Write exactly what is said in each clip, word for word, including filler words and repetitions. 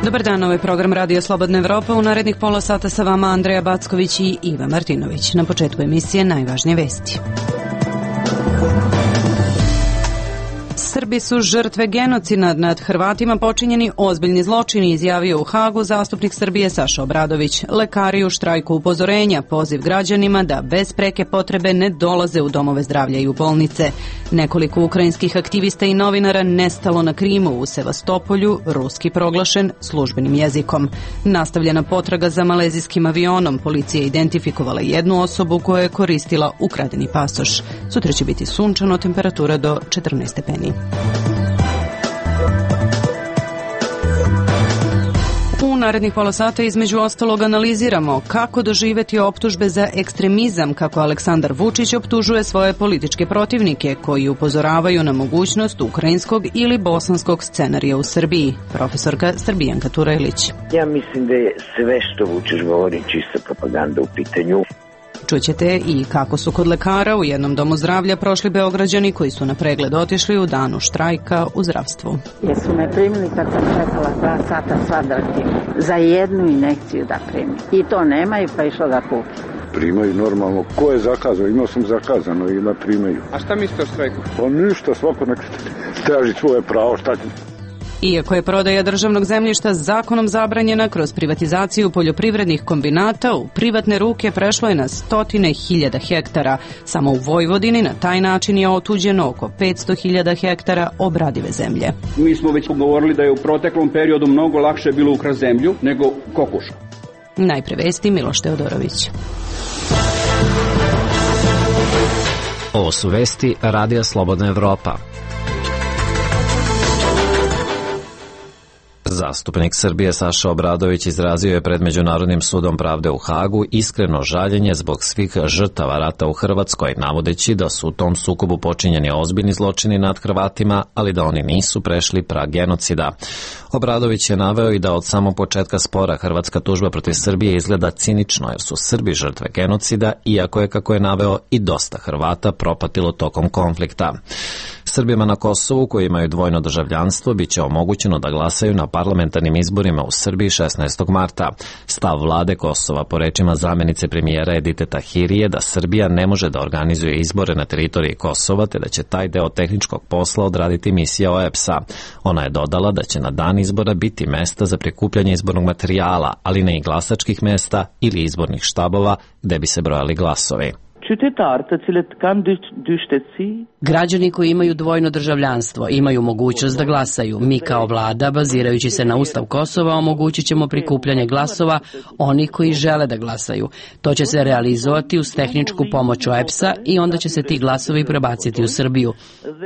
Dobar dan, ovaj program Radio Slobodna Evropa. U narednih pola sata sa vama Andreja Backović i Iva Martinović. Na početku emisije najvažnije vesti. Srbi su žrtve genocida nad Hrvatima, počinjeni ozbiljni zločini, izjavio u Hagu zastupnik Srbije Saša Obradović. Lekari u štrajku upozorenja, poziv građanima da bez preke potrebe ne dolaze u domove zdravlja i u bolnice. Nekoliko ukrajinskih aktivista i novinara nestalo na Krimu, u Sevastopolju, ruski proglašen službenim jezikom. Nastavljena potraga za malezijskim avionom, policija je identifikovala jednu osobu koja je koristila ukradeni pasoš. Sutra će biti sunčano, temperatura do četrnaest stepeni. U narednih pola sata između ostalog analiziramo kako doživeti optužbe za ekstremizam, kako Aleksandar Vučić optužuje svoje političke protivnike koji upozoravaju na mogućnost ukrajinskog ili bosanskog scenarija u Srbiji. Profesorka Srbijanka Turajlić. Ja mislim da je sve što Vučić govori čista propaganda u pitanju. Čućete i kako su kod lekara u jednom domu zdravlja prošli Beograđani koji su na pregled otišli u danu štrajka u zdravstvu. Jesu me primili kad sam čekala dva sata svadrati za jednu injekciju da primi. I to nemaju pa išlo da kupi. Primaju normalno. Ko je zakazano? Imao sam zakazano i da primaju. A šta mislite o štrajku? Pa ništa, svako nek traži svoje pravo. Šta će? Iako je prodaja državnog zemljišta zakonom zabranjena, kroz privatizaciju poljoprivrednih kombinata u privatne ruke prešlo je na stotine hiljada hektara. Samo u Vojvodini na taj način je otuđeno oko petsto hiljada hektara obradive zemlje. Mi smo već govorili da je u proteklom periodu mnogo lakše bilo ukrasti zemlju nego kokošku. Najpre vesti, Miloš Teodorović. Ovo su vesti Radija Slobodna Evropa. Zastupnik Srbije Saša Obradović izrazio je pred Međunarodnim sudom pravde u Hagu iskreno žaljenje zbog svih žrtava rata u Hrvatskoj, navodeći da su u tom sukobu počinjeni ozbiljni zločini nad Hrvatima, ali da oni nisu prešli prag genocida. Obradović je naveo i da od samog početka spora hrvatska tužba protiv Srbije izgleda cinično, jer su Srbi žrtve genocida, iako je, kako je naveo, i dosta Hrvata propatilo tokom konflikta. Srbima na Kosovu koji imaju dvojno državljanstvo biće omogućeno da glasaju na parlamentarnim izborima u Srbiji šesnaestog marta. Stav vlade Kosova, po rečima zamjenice premijera Edite Tahiri, je da Srbija ne može da organizuje izbore na teritoriji Kosova, te da će taj deo tehničkog posla odraditi misija O E B S-a. Ona je dodala da će na dan izbora biti mesta za prikupljanje izbornog materijala, ali ne i glasačkih mesta ili izbornih štabova gde bi se brojali glasovi. Građani koji imaju dvojno državljanstvo imaju mogućnost da glasaju. Mi kao vlada, bazirajući se na Ustav Kosova, omogućit ćemo prikupljanje glasova onih koji žele da glasaju. To će se realizovati uz tehničku pomoć O E B S-a i onda će se ti glasovi prebaciti u Srbiju.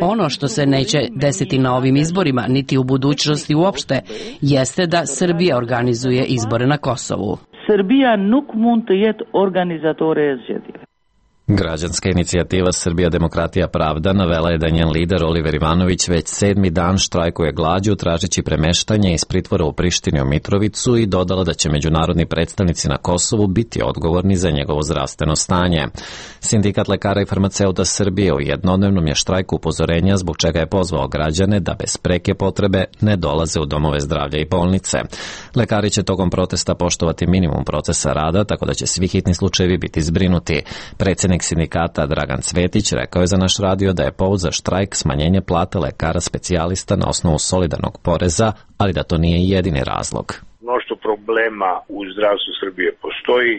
Ono što se neće desiti na ovim izborima, niti u budućnosti uopšte, jeste da Srbija organizuje izbore na Kosovu. Srbija nuk mund të jetë organizatore e zgjedhjeve. Građanska inicijativa Srbija demokratija pravda navela je da njen lider Oliver Ivanović već sedmi dan štrajkuje glađu tražeći premeštanje iz pritvora u Prištini u Mitrovicu i dodala da će međunarodni predstavnici na Kosovu biti odgovorni za njegovo zdravstveno stanje. Sindikat lekara i farmaceuta Srbije u jednodnevnom je štrajku upozorenja zbog čega je pozvao građane da bez preke potrebe ne dolaze u domove zdravlja i bolnice. Lekari će tokom protesta poštovati minimum procesa rada, tako da će svi hitni slučajevi biti zbrinuti. Predsjednik sindikata Dragan Cvetić rekao je za naš radio da je povod za štrajk smanjenje plata lekara specijalista na osnovu solidarnog poreza, ali da to nije jedini razlog. Mnoštvo problema u zdravstvu Srbije postoji,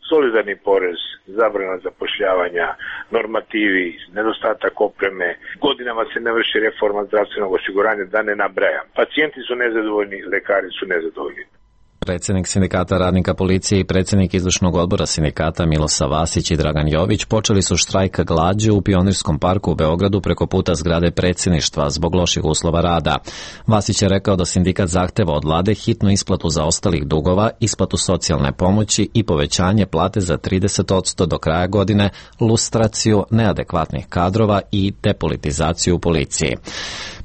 solidarni porez, zabrana zapošljavanja, normativi, nedostatak opreme, godinama se ne vrši reforma zdravstvenog osiguranja, da ne nabrajam. Pacijenti su nezadovoljni, lekari su nezadovoljni. Predsjednik sindikata radnika policije i predsjednik izvršnog odbora sindikata Milosa Vasić i Dragan Jović počeli su štrajk glađu u Pionirskom parku u Beogradu preko puta zgrade predsjedništva zbog loših uslova rada. Vasić je rekao da sindikat zahteva od vlade hitnu isplatu zaostalih dugova, isplatu socijalne pomoći i povećanje plate za trideset posto do kraja godine, lustraciju neadekvatnih kadrova i depolitizaciju u policiji.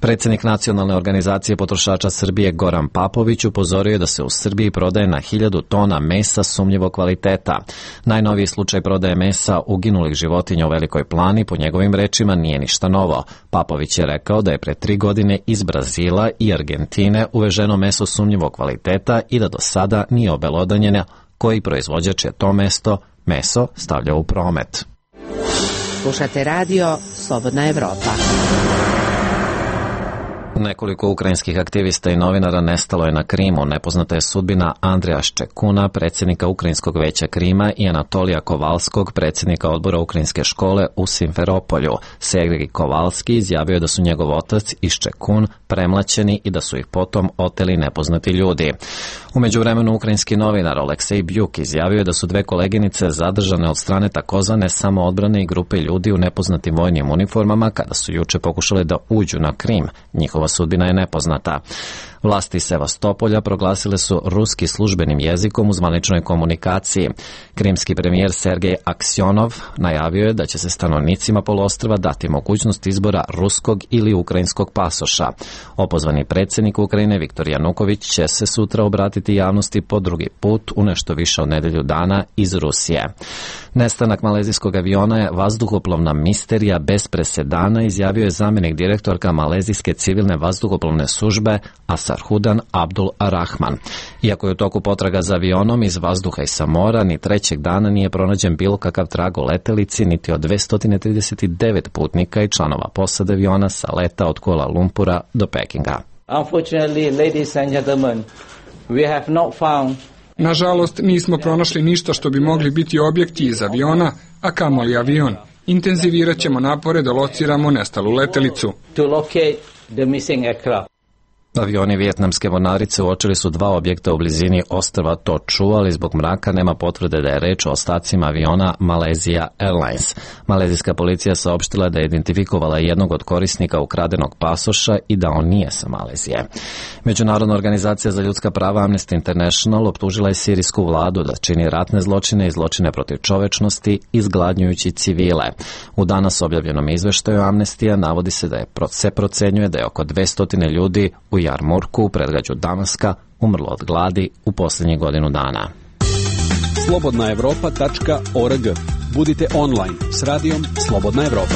Predsjednik Nacionalne organizacije potrošača Srbije Goran Papović upozorio je da se u Srbiji Srbiji prodaje na hiljadu tona mesa sumnjivog kvaliteta. Najnoviji slučaj prodaje mesa uginulih životinja u Velikoj Plani, po njegovim rečima, nije ništa novo. Papović je rekao da je pre tri godine iz Brazila i Argentine uveženo meso sumnjivog kvaliteta i da do sada nije obelodanjeno koji proizvođač je to mesto, meso stavljao u promet. Slušate radio Slobodna Evropa. Nekoliko ukrajinskih aktivista i novinara nestalo je na Krimu. Nepoznata je sudbina Andreja Ščekuna, predsjednika Ukrajinskog veća Krima, i Anatolija Kovalskog, predsjednika odbora Ukrajinske škole u Simferopolju. Sergej Kovalski izjavio je da su njegov otac i Ščekun premlaćeni i da su ih potom oteli nepoznati ljudi. U međuvremenu ukrajinski novinar Oleksej Bjuk izjavio je da su dve koleginice zadržane od strane takozvane samoodbrane i grupe ljudi u nepoznatim vojnim uniformama kada su juče pokušale da uđu na Krim. Njihova sudbina je nepoznata. Vlasti Sevastopolja proglasile su ruski službenim jezikom u zvaničnoj komunikaciji. Krimski premijer Sergej Aksjonov najavio je da će se stanovnicima poluostrva dati mogućnost izbora ruskog ili ukrajinskog pasoša. Opozvani predsjednik Ukrajine Viktor Januković će se sutra obratiti javnosti po drugi put u nešto više od nedelju dana iz Rusije. Nestanak malezijskog aviona je vazduhoplovna misterija bez presedana, izjavio je zamjenik direktorka malezijske civilne vazduhoplovne službe Asarhudan Abdul Arahman. Iako je u toku potraga za avionom iz vazduha i sa mora, ni trećeg dana nije pronađen bilo kakav trag o letelici, niti od dvesta trideset devet putnika i članova posade aviona sa leta od Kuala Lumpura do Pekinga. Unfortunately, ladies and gentlemen, we have not found Nažalost, nismo pronašli ništa što bi mogli biti objekti iz aviona, a kamoli avion. Intenzivirat ćemo napore da lociramo nestalu letelicu. To locate the missing aircraft. Avioni vijetnamske mornarice uočili su dva objekta u blizini ostrva Toču, ali zbog mraka nema potvrde da je reč o ostacima aviona Malaysia Airlines. Malezijska policija saopštila da je identifikovala jednog od korisnika ukradenog pasoša i da on nije sa Malezije. Međunarodna organizacija za ljudska prava Amnesty International optužila je sirijsku vladu da čini ratne zločine i zločine protiv čovečnosti, izgladnjujući civile. U danas objavljenom izveštaju Amnestija navodi se da je se procenjuje da je oko dvesta ljudi u Jarmurku u predgrađu Damaska umrlo od gladi u posljednjih godinu dana. slobodna evropa tačka org. Budite online s radijom Slobodna Evropa.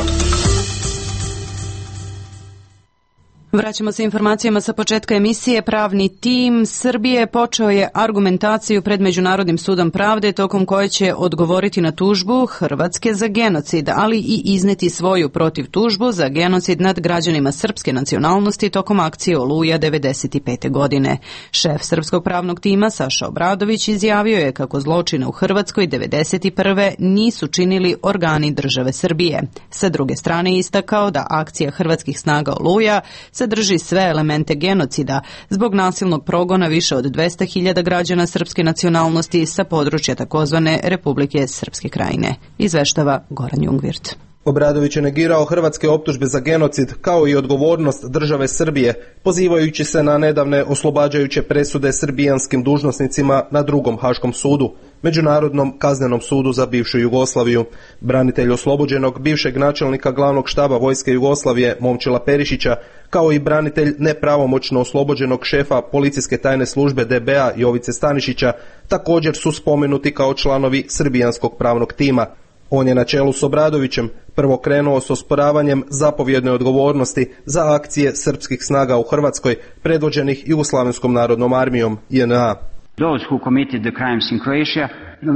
Vraćamo se informacijama sa početka emisije. Pravni tim Srbije počeo je argumentaciju pred Međunarodnim sudom pravde tokom koje će odgovoriti na tužbu Hrvatske za genocid, ali i izneti svoju protiv tužbu za genocid nad građanima srpske nacionalnosti tokom akcije Oluja devedeset pete. godine. Šef srpskog pravnog tima Saša Obradović izjavio je kako zločine u Hrvatskoj devedeset prve nisu činili organi države Srbije. Sa druge strane istakao da akcija hrvatskih snaga Oluja sadrži sve elemente genocida zbog nasilnog progona više od dvesta hiljada građana srpske nacionalnosti sa područja takozvane Republike Srpske Krajine. Izveštava Goran Jungvirt. Obradović je negirao hrvatske optužbe za genocid kao i odgovornost države Srbije, pozivajući se na nedavne oslobađajuće presude srbijanskim dužnosnicima na drugom Haškom sudu, Međunarodnom kaznenom sudu za bivšu Jugoslaviju. Branitelj oslobođenog bivšeg načelnika glavnog štaba Vojske Jugoslavije Momčila Perišića, kao i branitelj nepravomoćno oslobođenog šefa policijske tajne službe D B A Jovice Stanišića, također su spomenuti kao članovi srbijanskog pravnog tima. On je na čelu s Obradovićem prvo krenuo s osporavanjem zapovjedne odgovornosti za akcije srpskih snaga u Hrvatskoj, predvođenih Jugoslavenskom narodnom armijom J N A. Those who committed the crimes in Croatia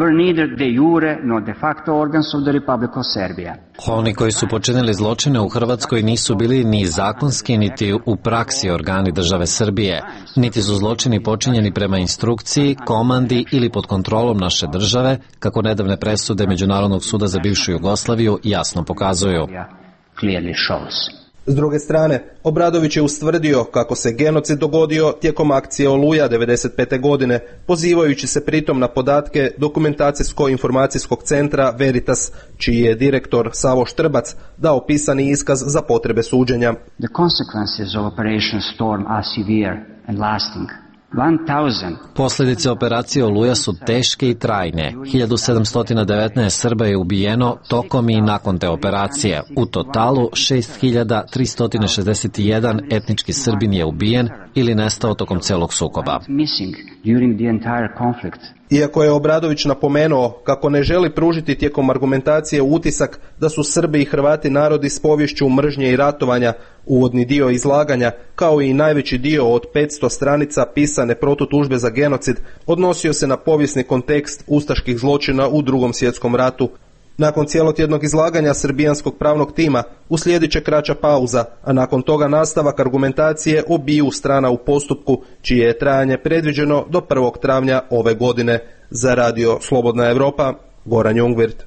were neither de jure nor de facto organs of the Republic of Serbia. Oni koji su počinili zločine u Hrvatskoj nisu bili ni zakonski, niti u praksi organi države Srbije, niti su zločini počinjeni prema instrukciji, komandi ili pod kontrolom naše države, kako nedavne presude Međunarodnog suda za bivšu Jugoslaviju jasno pokazuju. Clearly shows. S druge strane, Obradović je ustvrdio kako se genocid dogodio tijekom akcije Oluja devedeset pete. godine, pozivajući se pritom na podatke Dokumentacijsko-informacijskog centra Veritas, čiji je direktor Savo Štrbac dao pisani iskaz za potrebe suđenja. The consequences of Operation Storm are severe and lasting. Posljedice operacije Oluja su teške i trajne. hiljadu sedamsto devetnaest Srba je ubijeno tokom i nakon te operacije. U totalu šest hiljada tristo šezdeset jedan etnički Srbin je ubijen ili nestao tokom celog sukoba. Iako je Obradović napomenuo kako ne želi pružiti tijekom argumentacije utisak da su Srbi i Hrvati narodi s poviješću mržnje i ratovanja, uvodni dio izlaganja, kao i najveći dio od petsto stranica pisane protutužbe za genocid, odnosio se na povijesni kontekst ustaških zločina u Drugom svjetskom ratu. Nakon cijelotjednog izlaganja srbijanskog pravnog tima uslijedit će kraća pauza, a nakon toga nastavak argumentacije obiju strana u postupku, čije je trajanje predviđeno do prvog travnja ove godine. Za radio Slobodna Evropa, Goran Jungwirth.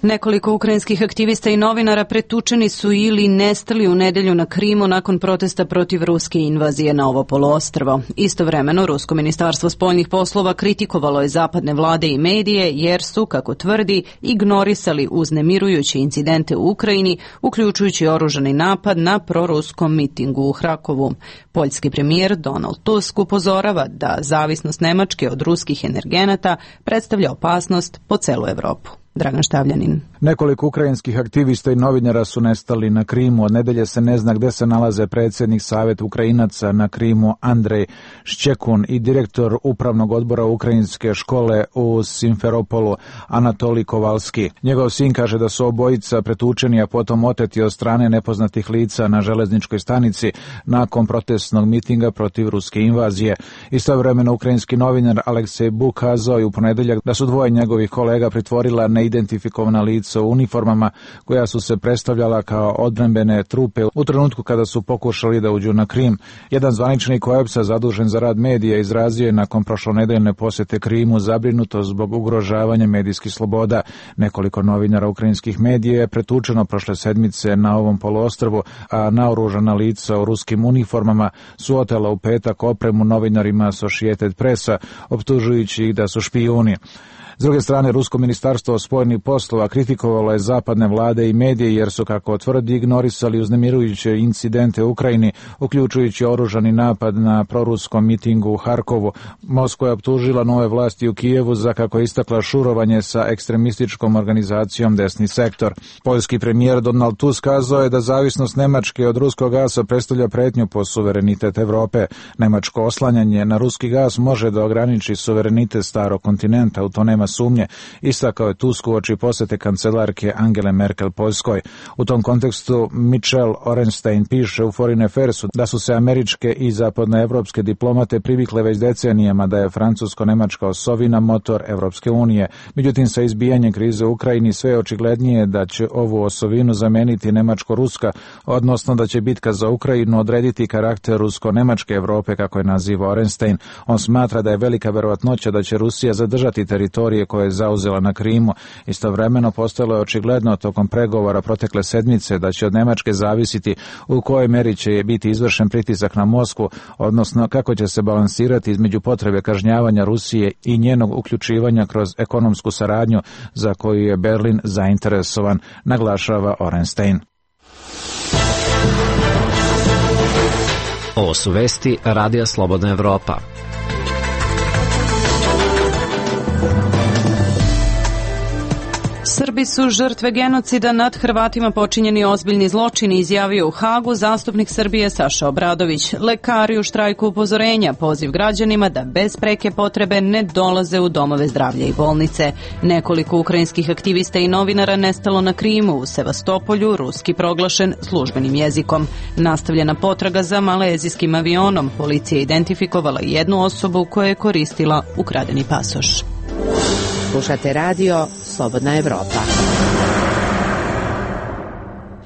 Nekoliko ukrajinskih aktivista i novinara pretučeni su ili nestali u nedelju na Krimu nakon protesta protiv ruske invazije na ovo poluostrvo. Istovremeno, Rusko ministarstvo spoljnih poslova kritikovalo je zapadne vlade i medije jer su, kako tvrdi, ignorisali uznemirujuće incidente u Ukrajini, uključujući oružani napad na proruskom mitingu u Hrakovu. Poljski premijer Donald Tusk upozorava da zavisnost Nemačke od ruskih energenata predstavlja opasnost po celu Evropu. Dragan Štavljanin. Nekoliko ukrajinskih aktivista i novinara su nestali na Krimu. Od nedelje se ne zna gde se nalaze predsjednik Saveta Ukrajinaca na Krimu Andrej Ščekun i direktor upravnog odbora ukrajinske škole u Simferopolu Anatolij Kovalski. Njegov sin kaže da su obojica pretučeni, a potom oteti od strane nepoznatih lica na železničkoj stanici nakon protestnog mitinga protiv ruske invazije. Istovremeno ukrajinski novinar Aleksej Buk kazao je u ponedeljak da su dvoje njegovih kolega pritvorila neidentifikovana lica u uniformama koja su se predstavljala kao odbrambene trupe u trenutku kada su pokušali da uđu na Krim. Jedan zvaničnik O E B S-a zadužen za rad medija izrazio je nakon prošlonedeljne posjete Krimu zabrinutost zbog ugrožavanja medijskih sloboda. Nekoliko novinara ukrajinskih medija je pretučeno prošle sedmice na ovom poluostrvu, a naoružana lica u ruskim uniformama su otela u petak opremu novinarima Associated Pressa, optužujući ih da su špijuni. S druge strane, Rusko ministarstvo spoljnih poslova kritikovalo je zapadne vlade i medije jer su, kako tvrdi, ignorisali uznemirujuće incidente u Ukrajini, uključujući oružani napad na proruskom mitingu u Harkovu. Moskva je optužila nove vlasti u Kijevu za, kako je istakla, šurovanje sa ekstremističkom organizacijom Desni sektor. Poljski premijer Donald Tusk kazao je da zavisnost Nemačke od ruskog gasa predstavlja pretnju po suverenitet Evrope. Nemačko oslanjanje na ruski gas može da ograniči suverenitet starog kontinenta, u to nema sumnje, istakao je Tusk uoči posete kancelarke Angele Merkel Poljskoj. U tom kontekstu Michel Orenstein piše u Foreign Affairsu da su se američke i zapadnoevropske diplomate privikle već decenijama da je francusko-nemačka osovina motor Evropske unije. Međutim, sa izbijanjem krize u Ukrajini sve je očiglednije da će ovu osovinu zameniti nemačko-ruska, odnosno da će bitka za Ukrajinu odrediti karakter rusko-nemačke Evrope, kako je naziva Orenstein. On smatra da je velika verovatnoća da će Rusija zadržati teritorije koje je zauzela na Krimu. Istovremeno postalo je očigledno tokom pregovora protekle sedmice da će od Nemačke zavisiti u kojoj meri će biti izvršen pritisak na Moskvu, odnosno kako će se balansirati između potrebe kažnjavanja Rusije i njenog uključivanja kroz ekonomsku saradnju za koju je Berlin zainteresovan, naglašava Orenstein. Ovo su vesti Radija Slobodna Evropa. Srbi su žrtve genocida nad Hrvatima počinjeni ozbiljni zločini, izjavio u Hagu zastupnik Srbije Saša Obradović. Lekari u štrajku upozorenja, poziv građanima da bez preke potrebe ne dolaze u domove zdravlja i bolnice. Nekoliko ukrajinskih aktivista i novinara nestalo na Krimu, u Sevastopolju, ruski proglašen službenim jezikom. Nastavljena potraga za malezijskim avionom, policija je identifikovala jednu osobu koja je koristila ukradeni pasoš. Slušate radio Slobodna Evropa.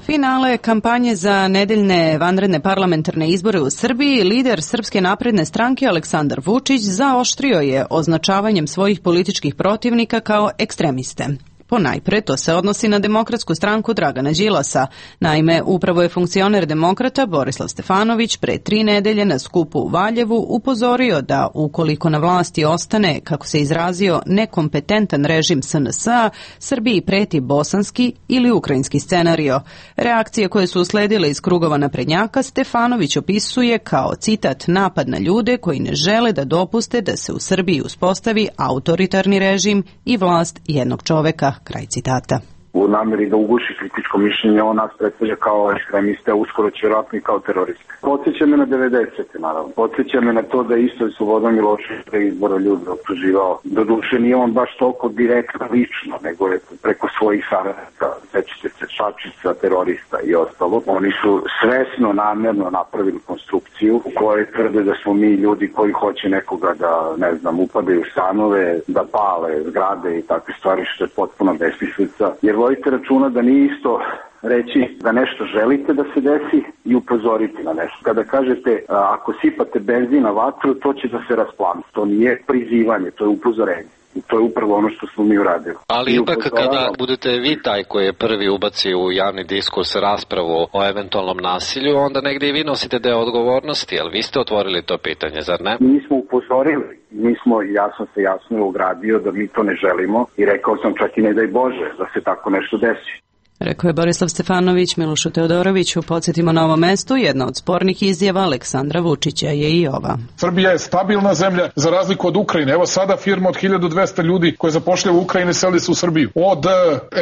Finale kampanje za nedeljne vanredne parlamentarne izbore u Srbiji, lider Srpske napredne stranke Aleksandar Vučić zaoštrio je označavanjem svojih političkih protivnika kao ekstremiste. Ponajpre, to se odnosi na Demokratsku stranku Dragana Đilasa. Naime, upravo je funkcioner Demokrata Borislav Stefanović pre tri nedelje na skupu u Valjevu upozorio da ukoliko na vlasti ostane, kako se izrazio, nekompetentan režim S N S-a, Srbiji preti bosanski ili ukrajinski scenario. Reakcije koje su usledile iz krugova naprednjaka Stefanović opisuje kao, citat, napad na ljude koji ne žele da dopuste da se u Srbiji uspostavi autoritarni režim i vlast jednog čoveka. Kraj citata. U nameri da uguši kritičko mišljenje, on nas predstavlja kao ekstremiste, a uskoro će vjerojatno i kao teroriste. Podsjeća me na devedesete naravno. Podsjeća me na to da isto je Slobodan Milošević pre izbora ljudi optuživao. Doduše nije on baš toliko direktno lično, nego je preko svojih saradnika, sećate se, Šačica, terorista i ostalo. Oni su svesno, namerno napravili konstrukciju u kojoj tvrde da smo mi ljudi koji hoće nekoga da, ne znam, upadaju u stanove, da pale zgrade i takve stvari, što je potpuno besmislica. Jer vodite računa da nije isto reći da nešto želite da se desi i upozoriti na nešto. Kada kažete ako sipate benzin na vatru, to će da se rasplani. To nije prizivanje, to je upozorenje. I to je upravo ono što smo mi uradili. Ali ipak kada budete vi taj koji je prvi ubaci u javni diskurs raspravu o eventualnom nasilju, onda negdje i vi nosite deo odgovornosti, ali vi ste otvorili to pitanje, zar ne? Mi smo upozorili, mi smo, ja sam se jasno ogradio da mi to ne želimo i rekao sam čak i ne daj Bože da se tako nešto desi. Rekao je Borislav Stefanović Milošu Teodoroviću. Podsjetimo na ovom mestu, jedna od spornih izjava Aleksandra Vučića je i ova. Srbija je stabilna zemlja za razliku od Ukrajine. Evo sada firma od hiljadu dvesta ljudi koje zapošljaju u Ukrajini seli se u Srbiju. Od uh,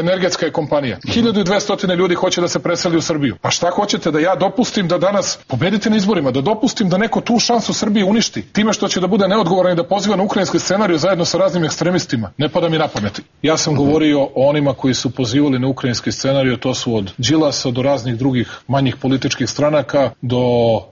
energetska je kompanija. hiljadu dvesta ljudi hoće da se preseli u Srbiju. Pa šta hoćete da ja dopustim da danas pobedite na izborima, da dopustim da neko tu šansu Srbije uništi time što će da bude neodgovoran i da poziva na ukrajinski scenariju zajedno sa raznim ekstremistima? Ne pada mi na pamet. Ja sam govorio o onima koji su pozivali na ukrajinski scenariju, to su od Đilasa do raznih drugih manjih političkih stranaka, do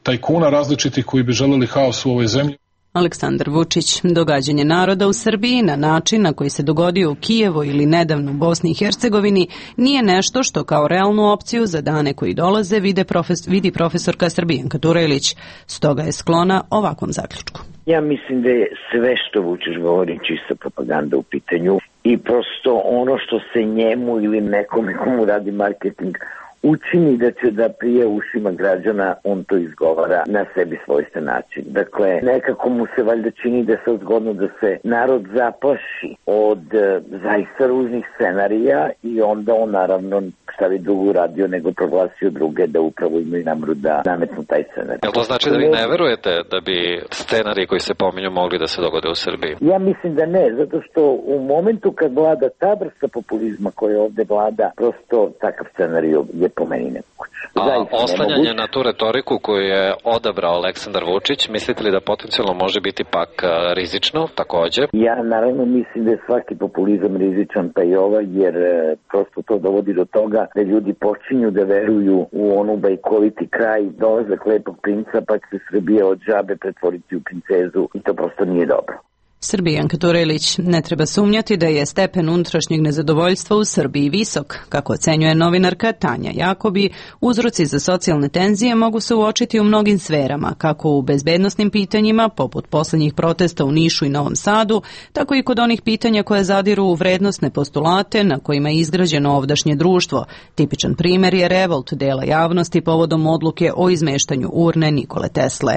tajkuna različitih koji bi želeli haos u ovoj zemlji. Aleksandar Vučić. Događanje naroda u Srbiji na način na koji se dogodio u Kijevu ili nedavno u Bosni i Hercegovini nije nešto što kao realnu opciju za dane koji dolaze vide profes, vidi profesorka Srbijanka Turelić. Stoga je sklona ovakvom zaključku. Ja mislim da je sve što Vučić govori čista propaganda u pitanju i prosto ono što se njemu ili nekome komu radi marketing učini da će da prije ušima građana, on to izgovara na sebi svojstven način. Dakle, nekako mu se valjda čini da se zgodno da se narod zaplaši od e, zaista ružnih scenarija i onda on naravno šta bi drugo uradio nego proglasio druge da upravo imaju namru da nametnu taj scenarij. Jel to znači da vi ne verujete da bi scenariji koji se pominju mogli da se dogode u Srbiji? Ja mislim da ne, zato što u momentu kad vlada ta vrsta populizma koja ovde vlada, prosto takav scenarij je po meni nemoguće. A oslanjanje na tu retoriku koju je odabrao Aleksandar Vučić, mislite li da potencijalno može biti pak rizično takođe? Ja naravno mislim da je svaki populizam rizičan, pa i ovaj, jer prosto to dovodi do toga da ljudi počinju da veruju u onu bajkoviti kraj, dolazak lepog princa, pa će se Srbija od žabe pretvoriti u princezu i to prosto nije dobro. Srbijanka Turelić. Ne treba sumnjati da je stepen unutrašnjeg nezadovoljstva u Srbiji visok. Kako ocenjuje novinarka Tanja Jakobi, uzroci za socijalne tenzije mogu se uočiti u mnogim sferama, kako u bezbednosnim pitanjima, poput poslednjih protesta u Nišu i Novom Sadu, tako i kod onih pitanja koje zadiru u vrednostne postulate na kojima je izgrađeno ovdašnje društvo. Tipičan primer je revolt dela javnosti povodom odluke o izmeštanju urne Nikole Tesle.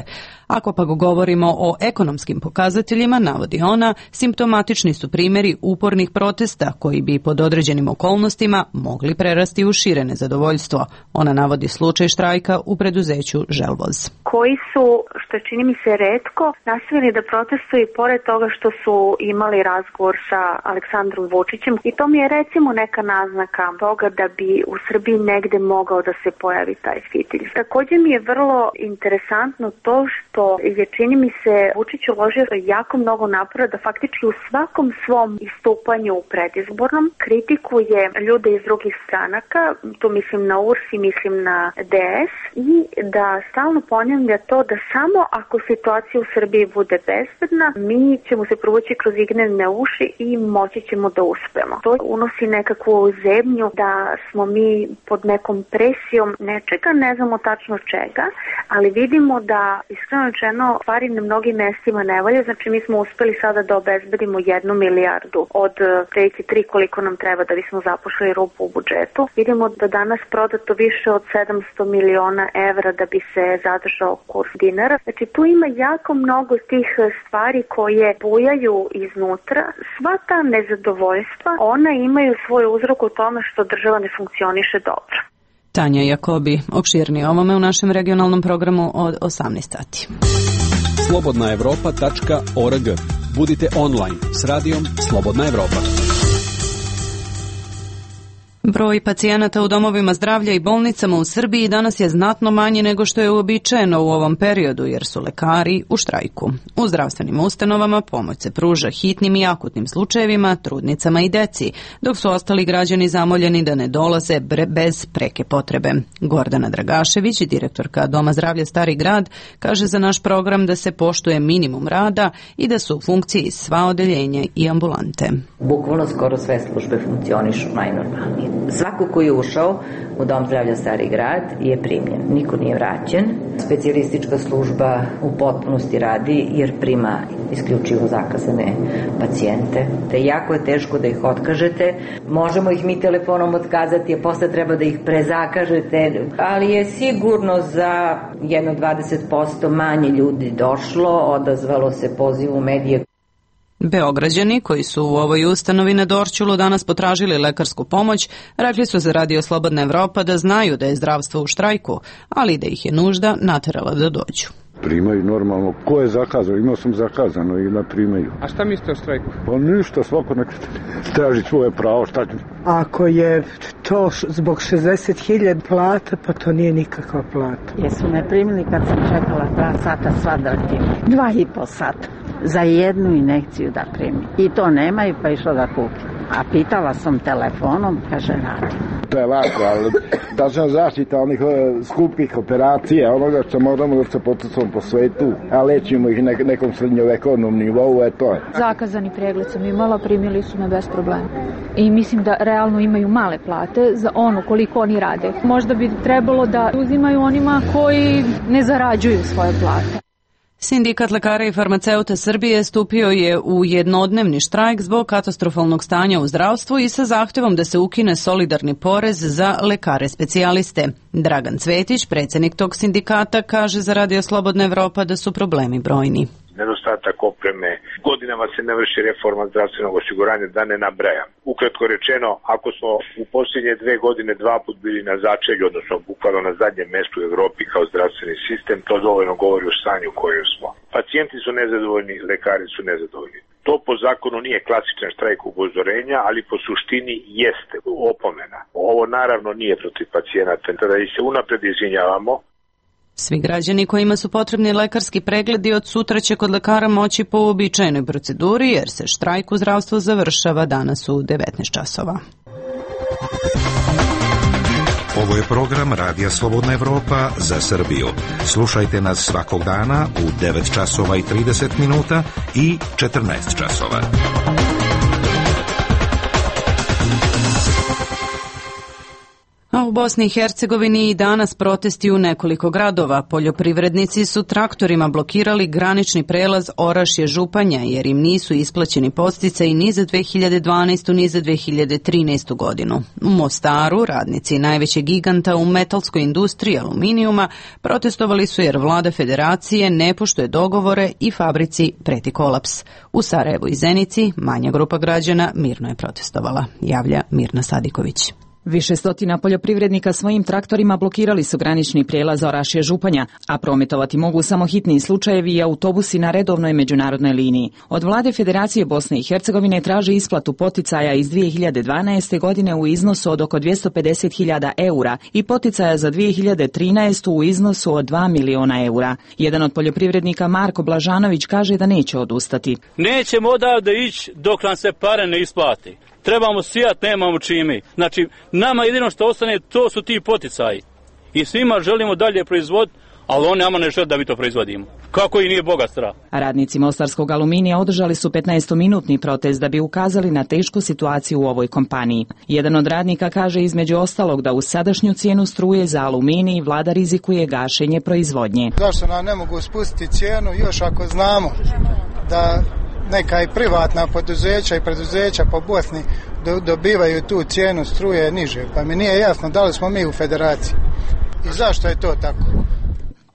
Ako pa govorimo o ekonomskim pokazateljima, navodi ona, simptomatični su primjeri upornih protesta koji bi pod određenim okolnostima mogli prerasti u šire nezadovoljstvo. Ona navodi slučaj štrajka u preduzeću Želvoz. Koji su, što čini mi se retko, nastavili da protestuju i pored toga što su imali razgovor sa Aleksandrom Vučićem i to mi je recimo neka naznaka toga da bi u Srbiji negde mogao da se pojavi taj fitilj. Također mi je vrlo interesantno to što to je, čini mi se, Vučić uložio jako mnogo napora da faktički u svakom svom istupanju predizbornom kritikuje ljude iz drugih stranaka, tu mislim na U R S i mislim na D S, i da stalno ponavlja to da samo ako situacija u Srbiji bude bezbedna, mi ćemo se provući kroz ignevne uši i moći ćemo da uspemo. To unosi nekakvu zemlju da smo mi pod nekom presijom nečega, ne znamo tačno čega, ali vidimo da iskreno iskreno rečeno, stvari na mnogim mestima ne valja. Znači mi smo uspeli sada da obezbedimo jednu milijardu od treći tri koliko nam treba da bismo zapošli rupu u budžetu. Vidimo da danas prodato više od sedamsto miliona evra da bi se zadržao kurs dinara. Znači tu ima jako mnogo tih stvari koje bujaju iznutra. Sva ta nezadovoljstva, ona imaju svoj uzrok u tome što država ne funkcioniše dobro. Tanja Jakobi, opširnije ovome u našem regionalnom programu od osamnaest sati. slobodna evropa tačka org. Budite online s radijom Slobodna Evropa. Broj pacijenata u domovima zdravlja i bolnicama u Srbiji danas je znatno manji nego što je uobičajeno u ovom periodu, jer su lekari u štrajku. U zdravstvenim ustanovama pomoć se pruža hitnim i akutnim slučajevima, trudnicama i deci, dok su ostali građani zamoljeni da ne dolaze bez preke potrebe. Gordana Dragašević, direktorka Doma zdravlja Stari grad, kaže za naš program da se poštuje minimum rada i da su u funkciji sva odeljenja i ambulante. Bukvalno skoro sve službe funkcionišu najnormalnije. Svako ko je ušao u Dom zdravlja Stari grad je primljen. Niko nije vraćen. Specijalistička služba u potpunosti radi jer prima isključivo zakazane pacijente. Te jako je teško da ih otkažete. Možemo ih mi telefonom otkazati, a posle treba da ih prezakažete. Ali je sigurno za jedno dvadeset posto manje ljudi došlo, odazvalo se pozivu medije. Beograđani koji su u ovoj ustanovi na Dorćolu danas potražili lekarsku pomoć, rekli su za Radio Slobodna Evropa da znaju da je zdravstvo u štrajku, ali da ih je nužda naterala da dođu. Primaju normalno. Ko je zakazao? Imao sam zakazano i na primaju. A šta mislite o štrajku? Pa ništa, svako nek traži svoje pravo. Šta... Ako je to zbog šezdeset hiljada plata, pa to nije nikakva plata. Jesu me primili kad sam čekala dva sata sva drtim. Dva i po sata. Za jednu injekciju da primi. I to nemaju, pa išlo da kupim. A pitala sam telefonom, kaže radi. To je lako, ali tačna zaštita onih skupih operacija, onoga što moramo da se potucamo po svetu, a lečimo ih nek nekom srednjovekovnom nivou, je to je. Zakazani pregled sam imala, primili su me bez problema. I mislim da realno imaju male plate za ono koliko oni rade. Možda bi trebalo da uzimaju onima koji ne zarađuju svoje plate. Sindikat lekara i farmaceuta Srbije stupio je u jednodnevni štrajk zbog katastrofalnog stanja u zdravstvu i sa zahtevom da se ukine solidarni porez za lekare specijaliste. Dragan Cvetić, predsjednik tog sindikata, kaže za Radio Slobodna Evropa da su problemi brojni. Nedostatak opreme, godinama se ne vrši reforma zdravstvenog osiguranja, da ne nabrajam. Ukratko rečeno, ako smo u posljednje dve godine dva put bili na začelju, odnosno bukvalno na zadnjem mestu u Evropi kao zdravstveni sistem, to dovoljno govori o stanju u kojem smo. Pacijenti su nezadovoljni, lekari su nezadovoljni. To po zakonu nije klasičan štrajk upozorenja, ali po suštini jeste opomena. Ovo naravno nije protiv pacijenata, tada i se unapred izvinjavamo. Svi građani kojima su potrebni lekarski pregledi od sutra će kod lekara moći po uobičajenoj proceduri, jer se štrajk u zdravstvu završava danas u devetnaest časova. Ovo je program Radija Slobodna Evropa za Srbiju. Slušajte nas svakog dana u devet časova i trideset minuta i četrnaest časova. A u Bosni i Hercegovini i danas protesti u nekoliko gradova. Poljoprivrednici su traktorima blokirali granični prelaz Orašje-Županja jer im nisu isplaćeni podsticaji ni za dve hiljade dvanaestu ni za dve hiljade trinaestu godinu. U Mostaru radnici najvećeg giganta u metalskoj industriji aluminijuma protestovali su jer vlada federacije ne poštuje dogovore i fabrici preti kolaps. U Sarajevu i Zenici manja grupa građana mirno je protestovala, javlja Mirna Sadiković. Više stotina poljoprivrednika svojim traktorima blokirali su granični prijelaz Orašje-Županja, a prometovati mogu samo hitni slučajevi i autobusi na redovnoj međunarodnoj liniji. Od vlade Federacije Bosne i Hercegovine traže isplatu poticaja iz dve hiljade dvanaeste. godine u iznosu od oko dvjesto pedeset hiljada eura i poticaja za dve hiljade trinaestu. u iznosu od dva miliona eura. Jedan od poljoprivrednika Marko Blažanović kaže da neće odustati. Nećemo odavde ići dok nam se pare ne isplati. Trebamo sijat, nemamo čime. Znači, nama jedino što ostane, to su ti poticaji. I svima želimo dalje proizvoditi ali oni nama ne žele da mi to proizvodimo. Kako i nije Boga strah. Radnici mostarskog aluminija održali su petnaestominutni protest da bi ukazali na tešku situaciju u ovoj kompaniji. Jedan od radnika kaže između ostalog da uz sadašnju cijenu struje za aluminij vlada rizikuje gašenje proizvodnje. Zašto nam ne mogu spustiti cijenu još ako znamo da neka i privatna poduzeća i preduzeća po Bosni dobivaju tu cijenu struje niže, pa mi nije jasno da li smo mi u federaciji i zašto je to tako.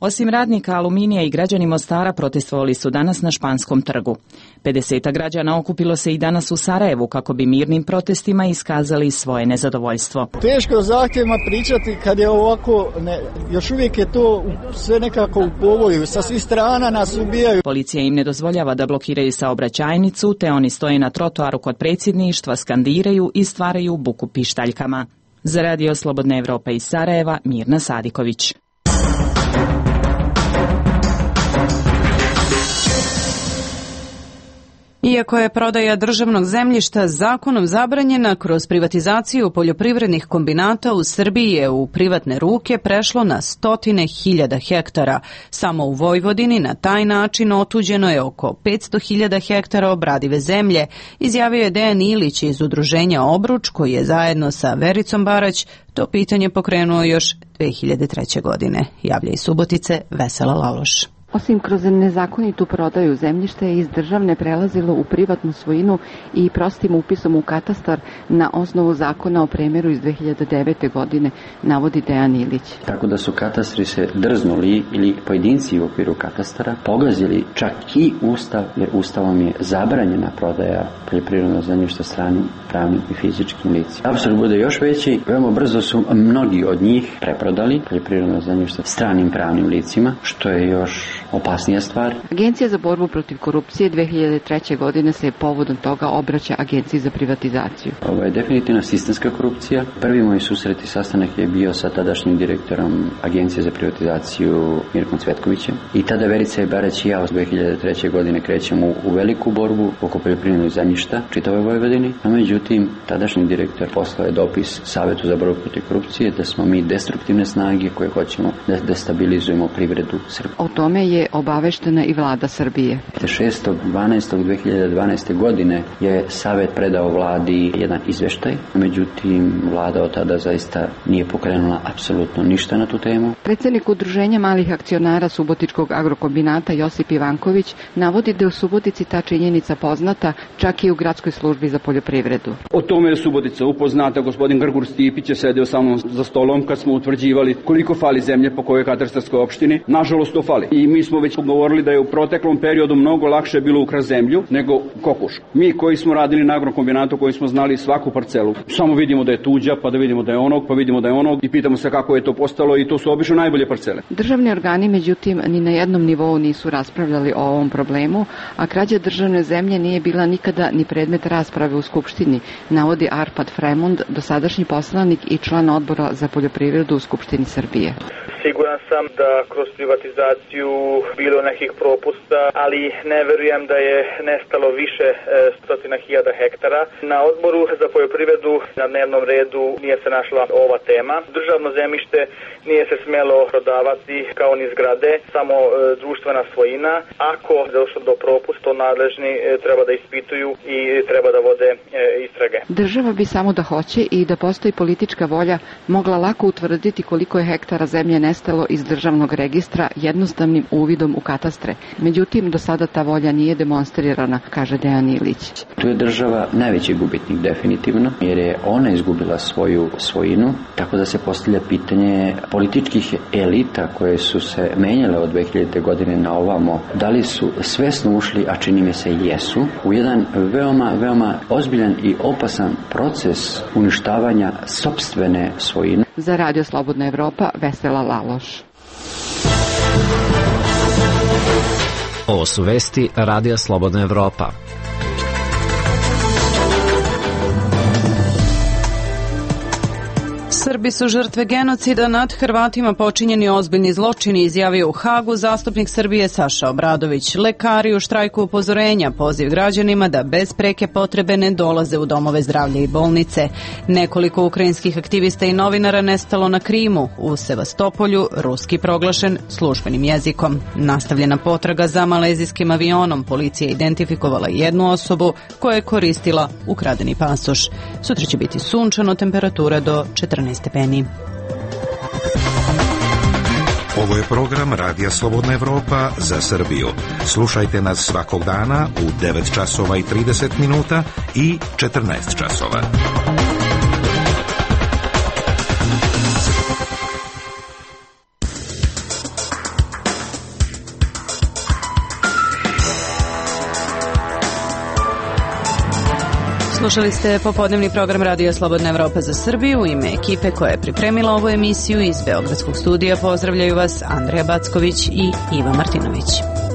Osim radnika aluminija i građani Mostara protestovali su danas na Španskom trgu. pedeseta građana okupilo se i danas u Sarajevu kako bi mirnim protestima iskazali svoje nezadovoljstvo. Teško o zahtjevima pričati kad je ovako, ne, još uvijek je to sve nekako u povoju, sa svih strana nas ubijaju. Policija im ne dozvoljava da blokiraju saobraćajnicu, te oni stoje na trotoaru kod predsjedništva, skandiraju i stvaraju buku pištaljkama. Za Radio Slobodna Evropa iz Sarajeva, Mirna Sadiković. Iako je prodaja državnog zemljišta zakonom zabranjena, kroz privatizaciju poljoprivrednih kombinata u Srbiji je u privatne ruke prešlo na stotine hiljada hektara. Samo u Vojvodini na taj način otuđeno je oko petsto hiljada hektara obradive zemlje, izjavio je Dejan Ilić iz udruženja Obruč, koji je zajedno sa Vericom Barać to pitanje pokrenuo još dve hiljade treće. godine. Javlja iz Subotice Vesela Laloš. Osim kroz nezakonitu prodaju zemljište je iz državne prelazilo u privatnu svojinu i prostim upisom u katastar na osnovu zakona o premeru iz dve hiljade devete. godine, navodi Dejan Ilić. Tako da su katastri se drznuli ili pojedinci u okviru katastara pogazili čak i Ustav, jer Ustavom je zabranjena prodaja poljoprivrednog zemljišta stranim pravnim i fizičkim licima. Apsurd bude još veći, veoma brzo su mnogi od njih preprodali poljoprivredno zemljište stranim pravnim licima, što je još opasnija stvar. Agencija za borbu protiv korupcije dve hiljade treće. godine se povodom toga obraća Agenciji za privatizaciju. Ovo je definitivno sistemska korupcija. Prvi moj susret i sastanak je bio sa tadašnjim direktorom Agencije za privatizaciju Mirkom Cvetkovićem. I tada Verica i Barać i ja od dve hiljade treće. godine krećemo u, u veliku borbu oko poljoprivrednog zemljišta čitavoj Vojvodini. A međutim, tadašnji direktor poslao je dopis Savetu za borbu protiv korupcije da smo mi destruktivne snage koje hoćemo da destabilizujemo privredu Srbije. O tome je obaveštena i vlada Srbije. šestog dvanaestog dve hiljade dvanaeste. godine je Savet predao vladi jedan izveštaj, međutim vlada od tada zaista nije pokrenula apsolutno ništa na tu temu. Predsjednik udruženja malih akcionara Subotičkog agrokombinata Josip Ivanković navodi da je u Subotici ta činjenica poznata čak i u gradskoj službi za poljoprivredu. O tome je Subotica upoznata, gospodin Grgur Stipić je sedeo sa mnom za stolom kad smo utvrđivali koliko fali zemlje po kojoj katastarskoj opštini. Nažalost to fali. I mi smo već govorili da je u proteklom periodu mnogo lakše bilo ukras zemlju nego kokuš. Mi koji smo radili na agrokombinatu, koji smo znali svaku parcelu, samo vidimo da je tuđa, pa da vidimo da je onog, pa vidimo da je onog i pitamo se kako je to postalo i to su obično najbolje parcele. Državni organi međutim ni na jednom nivou nisu raspravljali o ovom problemu, a krađa državne zemlje nije bila nikada ni predmet rasprave u Skupštini, navodi Arpad Fremond, dosadašnji poslanik i član odbora za poljoprivredu u Skupštini Srbije. Siguran sam da kroz privatizaciju bilo nekih propusta, ali ne verujem da je nestalo više e, stotina hiljada hektara. Na odboru za poljoprivredu na dnevnom redu nije se našla ova tema. Državno zemljište nije se smjelo prodavati kao ni zgrade, samo e, društvena svojina. Ako je došlo do propusta, nadležni e, treba da ispituju i treba da vode e, istrage. Država bi samo da hoće i da postoji politička volja mogla lako utvrditi koliko je hektara zemlje nestalo iz državnog registra jednostavnim uvidom u katastre. Međutim, do sada ta volja nije demonstrirana, kaže Dejan Ilić. Tu je država najveći gubitnik definitivno, jer je ona izgubila svoju svojinu, tako da se postavlja pitanje političkih elita koje su se menjale od dve hiljadite. godine na ovamo, da li su svesno ušli, a čini mi se jesu, u jedan veoma, veoma ozbiljan i opasan proces uništavanja sopstvene svojine. Za Radio Slobodna Evropa, Vesela Laloš. Ovo su vesti Radija Slobodna Evropa. Srbi su žrtve genocida nad Hrvatima, počinjeni ozbiljni zločini, izjavio u Hagu zastupnik Srbije Saša Obradović. Lekari u štrajku upozorenja, poziv građanima da bez preke potrebe ne dolaze u domove zdravlja i bolnice. Nekoliko ukrajinskih aktivista i novinara nestalo na Krimu, u Sevastopolju, ruski proglašen službenim jezikom. Nastavljena potraga za malezijskim avionom, policija identifikovala jednu osobu koja je koristila ukradeni pasoš. Sutra će biti sunčano, temperatura do četrnaest stepeni. Ovo je program Radija Slobodna Evropa za Srbiju. Slušajte nas svakog dana u devet časova i trideset minuta i četrnaest časova. Slušali ste popodnevni program Radija Slobodna Evropa za Srbiju. U ime ekipe koja je pripremila ovu emisiju iz Beogradskog studija pozdravljaju vas Andreja Backović i Iva Martinović.